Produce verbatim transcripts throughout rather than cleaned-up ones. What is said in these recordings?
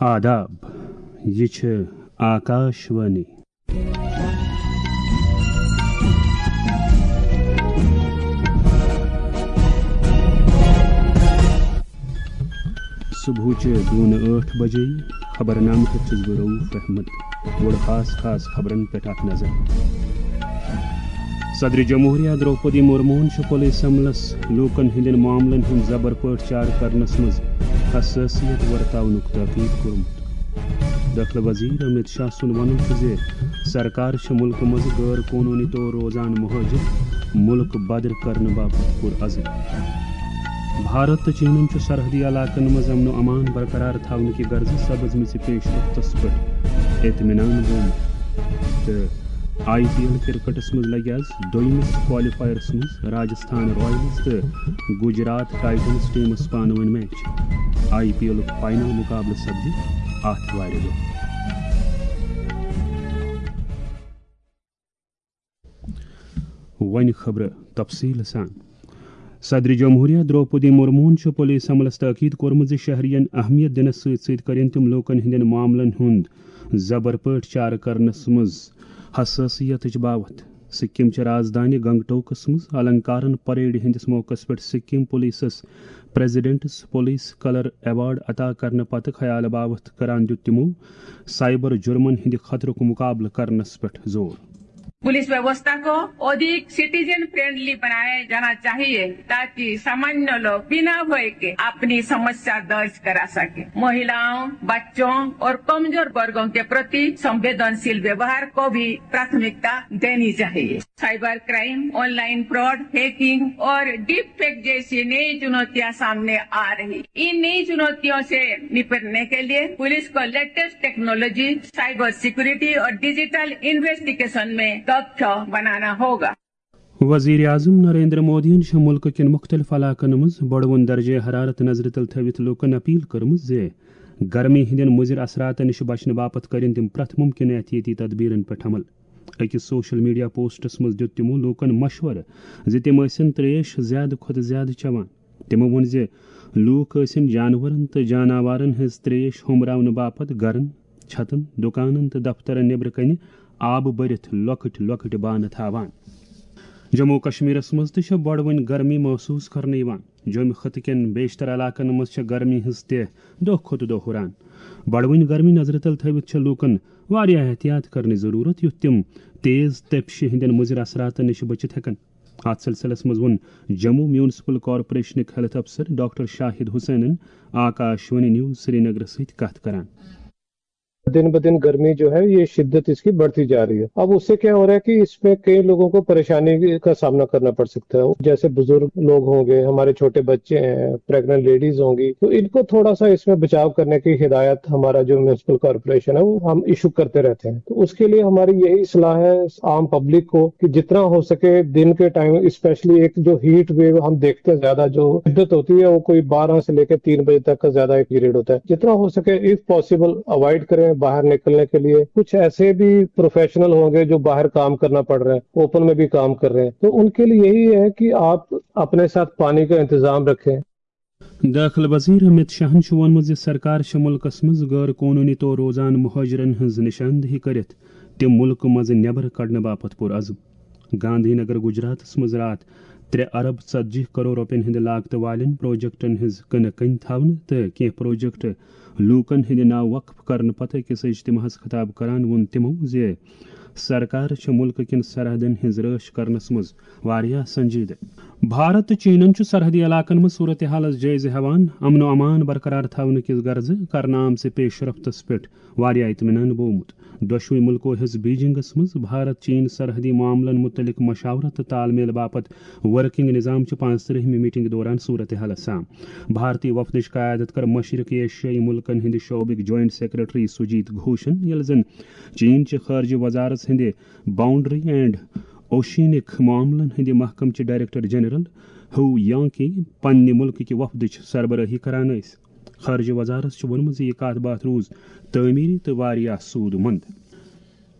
آداب، یہِ چھِ آکاش وانی۔ صبحٕچہِ دوٗنہٕ ٲٹھ بجے۔ خبرنامہٕ پٮ۪ٹھ چھُس بہٕ رؤف احمد۔ گۄڈٕ خاص خاص خبرن پٮ۪ٹھ اکھ نظر۔ صدر جمہوریہ درٛوپدی مرموہن چھُ پُلیس عملس لوٗکن ہٕنٛدٮ۪ن معاملن ہُنٛد زبر پٲٹھۍ چارٕ کرنس منٛز حساسیت ورتاونُک تاکید کوٚرمُت۔ دٲخلہٕ وزیر امت شاہ سُنٛد وَنُن چھُ زِ سرکار چھِ مُلکہٕ منٛز غٲر قونوٗنی طور روزان مُہٲجِر مُلک بدر کرنہٕ باپتھ پُرعزم۔ بھارت تہٕ چینن چھُ سرحدی علاقن منٛز امن و امان برقرار تھاونہٕ کہِ غرضہٕ سپزمٕژِ پیش رفتس پٮ۪ٹھ اطمینان ووٚن۔ تہٕ آئی پی ایل کرکٹس منٛز لگہِ آز دوٚیمِس کوالیفائرس منٛز راجستھان رائلز تہٕ گجرات ٹائٹنز ٹیمس پانہٕ ؤنۍ میچ۔ آئی پی ایلُک فائنل مقابلہٕ سپدِ آتھوارِ دۄہ۔ وۄنۍ خبرٕ تفصیٖل سان۔ صدر جمہوریہ درٛوپدی مرموہن چھُ پُلیس عملس تاکید کوٚرمُت زِ شہرین اہمیت دِنس سۭتۍ سۭتۍ کٔرِن تِم لوٗکن ہٕنٛدٮ۪ن معاملن ہُنٛد زبر پٲٹھۍ چارٕ کرنس منٛز حساسیتٕچ باوتھ۔ سکم چہِ رازدانہِ گنگٹوکس منٛز النکارن پریڈ ہٕنٛدِس موقعس پٮ۪ٹھ سکم پُلیسس پریزیڈنٹس پُلیس کلر ایوارڈ عطا کرنہٕ پتہٕ خیال باوتھ کران دیُت تِمو سائبر جرمن ہٕنٛدِ خطرُک مقابلہٕ کرنس پٮ۪ٹھ زور۔ पुलिस व्यवस्था को अधिक सिटीजन फ्रेंडली बनाया जाना चाहिए, ताकि सामान्य लोग बिना भय के अपनी समस्या दर्ज करा सके। महिलाओं, बच्चों और कमजोर वर्गों के प्रति संवेदनशील व्यवहार को भी प्राथमिकता देनी चाहिए। Cyber crime, online fraud, hacking और डीप फेक जैसी नई चुनौतियां सामने आ रही। इन नई चुनौतियों से निपटने के लिए पुलिस को लेटेस्ट टेक्नोलॉजी, साइबर सिक्योरिटी और डिजिटल इन्वेस्टिगेशन में दक्ष बनाना होगा। وزیر اعظم نریندر مودیَن چھِ مُلکہٕ کٮ۪ن مُختٔلِف علاقَن منٛز بۄڑوُن درجہ حرارت نظرِ تل تھٲوِتھ لوٗکَن اپیل کٔرمٕژ زِ گرمی ہٕنٛدٮ۪ن مُضِر اثراتَن نِش بچنہٕ باپتھ کٔرِن تِم پرٛٮ۪تھ مُمکِن احتیاطی تدبیرن پٮ۪ٹھ عمل۔ أکِس سوشل میڈیا پوسٹس منٛز دیُت تِمو لوٗکَن مشورٕ زِ تِم ٲسِن ترٛیش زیادٕ کھۄتہٕ زیادٕ چٮ۪وان۔ تِمو ووٚن زِ لوٗکھ ٲسِن جانورن تہٕ جاناوارن ہٕنٛز ترٛیش ہوٚمراونہٕ باپتھ گرن، چھتن، دُکانن تہٕ دفترن نیبرٕ کنہِ آبہٕ بٔرِتھ لۄکٕٹۍ لۄکٕٹۍ بانہٕ تھاوان۔ جموں و کشمیرس منٛز تہِ چھےٚ بۄڑوٕنۍ گرمی محسوس کرنہٕ یِوان۔ جوٚمہِ خطہٕ کٮ۪ن بیشتر علاقن منٛز چھےٚ گرمی ہٕنٛز تہِ دۄہ کھۄتہٕ دۄہ ہُران۔ بۄڑوٕنۍ گرمی نظرِ تل تھٲوِتھ چھےٚ لوٗکن واریاہ احتیاط کرنٕچ ضروٗرت، یُتھ تِم تیز تپشہِ ہٕنٛدٮ۪ن مُضِر اثراتن نِش بٔچِتھ ہٮ۪کن۔ اتھ سلسلس منٛز ووٚن جموں میونسپل کارپوریشنٕکۍ ہیلتھ افسر ڈاکٹر شاہد حسینن آکاش وانی نیوز سرینگرس سۭتۍ کتھ کران۔ दिन ب दिन गर्मी जो है, ये शिद्दत इसकी बढ़ती जा रही है। अब उससे क्या हो रहा है कि इसमें कई लोगों को परेशानी का सामना करना पड़ सकता है। जैसे बुजुर्ग लोग होंगे, हमारे छोटे बच्चे हैं, प्रेग्नेंट लेडीज होंगी, तो इनको थोड़ा सा इसमें बचाव करने की हिदायत हमारा जो म्यूनिसिपल कॉरपोरेशन है, वो हम इशू करते रहते हैं। तो उसके लिए हमारी यही सलाह है आम पब्लिक को कि जितना हो सके दिन के टाइम, स्पेशली एक जो हीट वेव हम देखते हैं, ज्यादा जो शिद्दत होती है, वो कोई बारह से लेकर तीन बजे तक का ज्यादा एक पीरियड होता है। जितना हो सके, इफ पॉसिबल, अवॉइड करें बाहर निकलने के लिए। कुछ ऐसे भी प्रोफेशनल होंगे जो बाहर काम करना पड़ रहा है, ओपन में भी काम कर रहे हैं, तो उनके लिए यही है कि आप अपने साथ पानी का इंतजाम रखें। دٲخلہٕ وزیر امت شاہن چھُ ووٚنمُت زِ سرکار چھِ مُلکَس منٛز غٲر قونوٗنی طور روزان مُہٲجرَن ہٕنٛز نِشاندہی کٔرِتھ تِم مُلکہٕ منٛزٕ نٮ۪بر کڑنہٕ باپتھ پُرعزم۔ گاندھی نگر، گجراتَس منٛز راتھ ترٛےٚ ارب ژتجی کرور رۄپین ہٕنٛدِ لاگتہٕ والٮ۪ن پروجیکٹَن ہٕنٛز کٕنہٕ کٔنۍ تھاونہٕ تہٕ کینٛہہ پروجیکٹ لوٗکَن ہٕنٛدِ ناوٕ وقف کرنہٕ پتہٕ أکِس اجتماعس خطاب کران ووٚن تِمَو زِ سرکار چھِ مُلکہٕ کٮ۪ن سرحدَن ہٕنٛز رٲچھ کرنَس منٛز واریاہ سنجیدٕ۔ بھارت تہٕ چینن چھُ سرحدی علاقن منٛز صورتحالس جٲیزٕ ہٮ۪وان امن و امان برقرار تھاونہٕ کِس غرضہٕ کرنہٕ آمژِ پیش رفتس پٮ۪ٹھ واریاہ اطمینان بوومُت۔ دۄشوٕے مُلکو ہیٚژ بیجنگس منٛز بھارت چین سرحدی معاملن مُتعلق مشاورت تہٕ تال میل باپتھ ورکنگ نظام چہِ پانٛژترٕہمہِ میٹنگ دوران صورتحالس سام۔ بھارتی وفدٕچ قیادت کٔر مشرق ایشیائی مُلکن ہٕنٛدِ شعبٕکۍ جوائنٹ سیکرٹری سجیت گھوشن، ییٚلہِ زن چین چہِ خارجہ وزارت ہٕنٛدِ باؤنڈری اینڈ اوشینک معاملن ہٕنٛدِ محکمہٕ چہِ ڈائریکٹر جنرل ہو یانگکی پننہِ مُلکٕکہِ وفدٕچ سربرٲہی کران ٲسۍ۔ خارجہ وزارت چھُ ووٚنمُت زِ یہِ کتھ باتھ روٗز تعمیری تہٕ واریاہ سود مند۔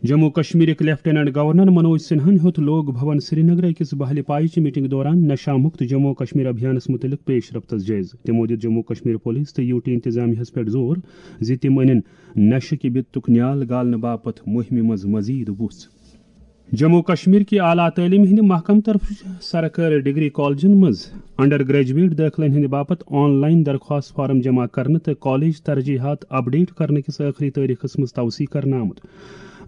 جموں کشمیرٕکۍ لیفٹیننٹ گورنر منوج سنہاہن ہیوٚت لوک بھون سرینگر أکِس بہلہِ پایہِ چہِ میٹنگ دوران نشہ مکت جموں کشمیر ابھیانس متعلق پیش رفتس جٲیزٕ۔ تِمو دِژ جموں کشمیر پولیس تہٕ یوٹی انتظامیہس پٮ۪ٹھ زور زِ تِم انن نشہٕ کہِ بِتُک نیال گالنہٕ باپتھ مُہِمہِ منٛز مزید وُژھ۔ جموں کشمیر کہِ اعلیٰ تعلیٖم ہٕنٛدِ محکمہٕ طرفہٕ چھُ سرکٲرۍ ڈگری کالجن منٛز انڈر گریجویٹ دٲخلن ہٕنٛدِ باپتھ آن لائن درخواست فارم جمع کرنہٕ تہٕ کالج ترجیحات اپڈیٹ کرنہٕ کِس ٲخری تٲریخس منٛز توسیع کرنہٕ آمُت۔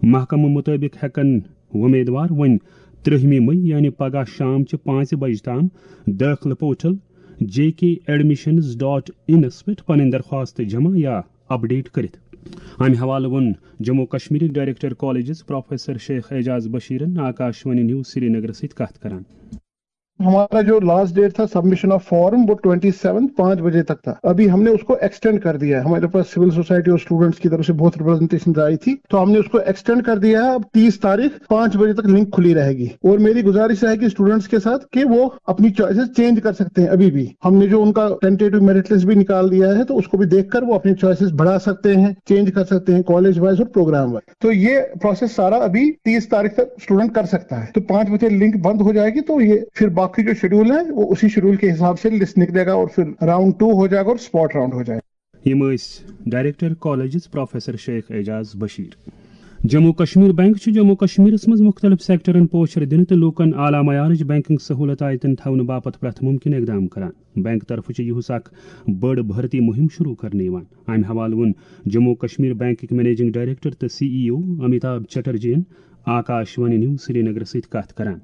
محکمہٕ مُطٲبِق ہٮ۪کَن وۄمیدوار وۄنۍ ترٛہمہِ مئی، یعنی پگاہ شام چہِ پانٛژِ بجہِ تام دٲخلہٕ پورٹل جے کے ایڈمیشنز ڈاٹ انس پٮ۪ٹھ پنٕنۍ درخواست جمع یا اپڈیٹ کٔرِتھ۔ امہِ حوالہٕ ووٚن جموں کشمیرٕکۍ director colleges professor Sheikh Ajaz بشیرن آکاشوانی نیوز سرینگرس سۭتۍ کتھ کران۔ ہمارا جو لاسٹ ڈیٹ تھا سبمشن آف فارم، وہ ٹوئنٹی سیون پانچ بجے تک تھا۔ ابھی ہم نے اس کو ایکسٹینڈ کر دیا ہے۔ ہمارے پاس سول سوسائٹی اور اسٹوڈنٹس کی طرف سے بہت ریپرزنٹیشن آئی تھی، تو ہم نے اس کو ایکسٹینڈ کر دیا ہے۔ اب تیس تاریخ پانچ بجے تک لنک کھلی رہے گی، اور میری گزارش رہے گی اسٹوڈنٹس کے ساتھ کہ وہ اپنی چوائسیز چینج کر سکتے ہیں ابھی بھی۔ ہم نے جو ان کا ٹینٹیٹو میرٹ لسٹ بھی نکال دیا ہے، تو اس کو بھی دیکھ کر وہ اپنی چوائسیز بڑھا سکتے ہیں، چینج کر سکتے ہیں کالج وائز اور پروگرام وائز۔ تو یہ پروسیس سارا ابھی تیس تاریخ تک اسٹوڈنٹ کر سکتا ہے۔ تو پانچ بجے لنک بند ہو جائے گی، تو یہ پھر باقی جو شیڈول ہے، وہ اسی شیڈول کے حساب سے لسٹ نکلے گا، اور پھر راؤنڈ ٹو ہو جائے گا اور اسپاٹ راؤنڈ ہو جائے گا۔ یِم ٲسۍ director colleges professor Sheikh Aijaz Bashir. Jammu Kashmir bank چھُ جموں کشمیرس منٛز مُختٔلِف سیکٹرن پوچھر دِنہٕ تہٕ لوٗکن اعلیٰ معیارٕچ بینکنگ سہولت عائدن تھاونہٕ باپتھ پرٛٮ۪تھ مُمکِن اقدام کران۔ بینک طرفہٕ چھِ یِہُس اکھ بٔڑ بھرتی مُہِم شروٗع کرنہٕ یِوان۔ امہِ حوالہٕ ووٚن جموں کشمیر بینکٕکۍ منیجنگ ڈائریکٹر تہٕ سی ای او امیتابھ چٹرجی ین آکاش وانی نیوز سرینگرس سۭتۍ کتھ کران۔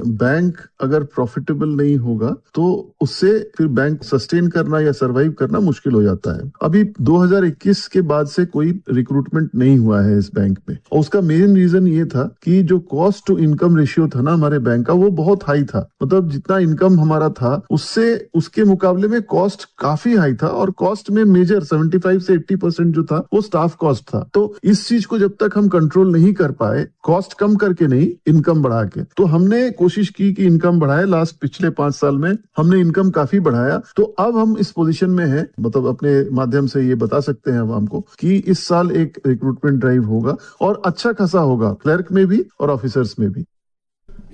बैंक अगर प्रॉफिटेबल नहीं होगा तो उससे फिर बैंक सस्टेन करना या सरवाइव करना मुश्किल हो जाता है। अभी दो हज़ार इक्कीस के बाद से कोई रिक्रूटमेंट नहीं हुआ है इस बैंक में, और उसका मेन रीजन ये था कि जो कॉस्ट टू इनकम रेशियो था ना हमारे बैंक का, वो बहुत हाई था। मतलब जितना इनकम हमारा था, उससे, उसके मुकाबले में कॉस्ट काफी हाई था, और कॉस्ट में मेजर सेवेंटी फाइव से एट्टी परसेंट जो था, वो स्टाफ कॉस्ट था। तो इस चीज को जब तक हम कंट्रोल नहीं कर पाए, कॉस्ट कम करके नहीं, इनकम बढ़ा के, तो हमने कोशिश की कि इनकम बढ़ाए। लास्ट पिछले पाँच साल में हमने इनकम काफी बढ़ाया। तो अब हम इस पोजीशन में हैं, मतलब अपने माध्यम से ये बता सकते हैं आवाम को कि इस साल एक रिक्रूटमेंट ड्राइव होगा और अच्छा खासा होगा, क्लर्क में भी और ऑफिसर्स में भी।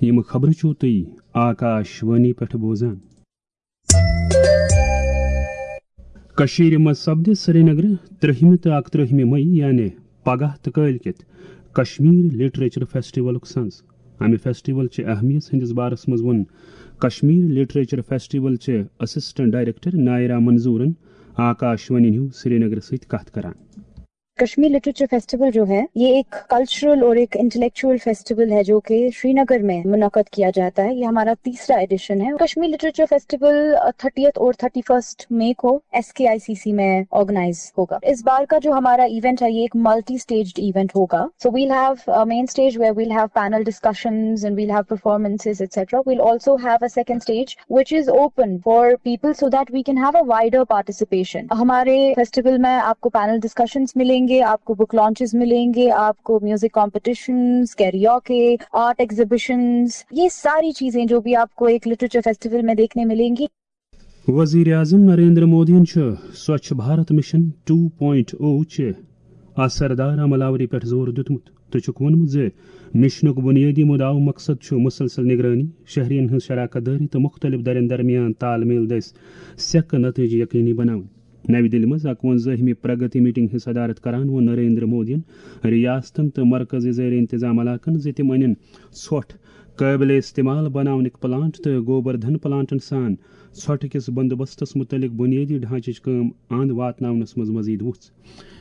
یِم خبرٕ چھِو تُہۍ آکاش وانی پٮ۪ٹھ بوزان۔ کٔشیٖرِ منٛز سپدِ سرینگرٕ ترٛہمہِ تہٕ اکترٛہمہِ مئی، یعنی پگاہ تہٕ کٲلۍ کٮ۪تھ، کشمیر لٹریچر فیسٹیولُک سنز۔ امہِ فیسٹیول چہِ اہمیت ہٕنٛدِس بارس منٛز ووٚن کشمیر لٹریچر فیسٹیول چہِ اسسٹنٹ ڈائریکٹر نائرہ منظورن آکاش وانی نیوز سرینگرس سۭتۍ کتھ کران۔ کشمیر لٹریچر فیسٹیول جو ہے، یہ ایک کلچرل اور ایک انٹلیکچوئل فیسٹیول ہے جو کہ شری نگر میں منعقد کیا جاتا ہے۔ یہ ہمارا تیسرا ایڈیشن ہے۔ کشمیر لٹریچر فیسٹیول تھرٹیتھ اور تھرٹی فرسٹ مئی کو S K I C C میں آرگنائز ہوگا۔ اس بار کا جو ہمارا ایونٹ ہے، یہ ایک ملٹی اسٹیجڈ ایونٹ ہوگا۔ So we'll have a main stage where we'll have panel discussions and we'll have performances, et cetera. We'll also have a second stage which is open for people so that we can have a wider participation. ہمارے festival میں آپ کو panel discussions ملیں گے، آپ کو book launches ملیں گے، آپ کو music competitions, کیریوکے، art exhibitions, یہ ساری چیزیں جو بھی آپ کو ایک لٹریچر فیسٹیول میں دیکھنے ملیں گی۔ وزیر اعظم نریندر مودیَن چھُ Swachh Bharat mission two point O چہِ اثردار عمل آوری پٮ۪ٹھ زور دیُتمُت تہٕ چھُکھ ووٚنمُت زِ مشنُک بنیٲدی مدعا و مقصد چھُ مسلسل نگرانی، شہریَن ہٕنٛز شراکت دٲری تہٕ مُختٔلِف دَرٮ۪ن درمیان تال میل دٔسۍ سیکہٕ نتیجہٕ یقینی بناوٕنۍ۔ نَوِ دِلہِ منٛز اَکوَنزٲہمہِ پرگتی میٹنگ ہٕنٛز صدارت کران ووٚن نریندر مودیَن ریاستن تہٕ مرکزی زیر انتظام علاقن زِ تِم أنِن ژھۄٹھ قٲبلِ استعمال بناونٕکۍ پلانٹ تہٕ گوبر دھن پلانٹن سان ژھۄٹہٕ کِس بندوبستس مُتعلق بُنیٲدی ڈھانچٕچ کٲم اند واتناونس منٛز مزید وُژھ۔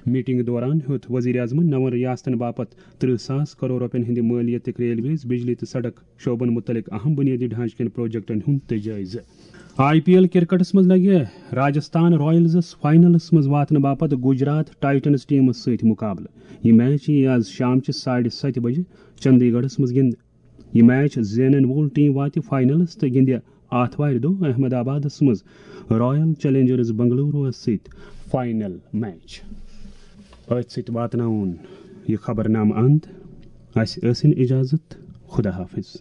میٹنگ دوران ہیوٚت وزیر اعظمن نَوَن ریاستن باپتھ ترٕہ ساس کرور رۄپین ہٕنٛدِ مٲلیتٕکۍ ریلویز، بجلی تہٕ سڑک شعبن مُتعلق اہم بُنیٲدی ڈھانچہٕ کٮ۪ن پروجیکٹن ہُنٛد تہِ جٲیزٕ۔ آئی پی ایل کرکٹس منٛز لگہِ راجستھان رائلزس فائنلس منٛز واتنہٕ باپتھ گجرات ٹائٹنز ٹیمس سۭتۍ مقابلہٕ۔ یہِ میچ یِیہِ آز شام چہِ ساڑِ ستہِ بجہِ چندی گڑھس منٛز گِنٛدنہٕ۔ یہِ میچ زینن وول ٹیم واتہِ فائنلس تہٕ گِنٛدِ آتھوارِ دۄہ احمد آبادس منٛز رائل چیلنجرز بنگلوروَس سۭتۍ فائنل میچ۔ أتھۍ سۭتۍ واتناوُن یہِ خبرنامہٕ اند۔ اسہِ ٲسِن اجازت۔ خدا حافظ۔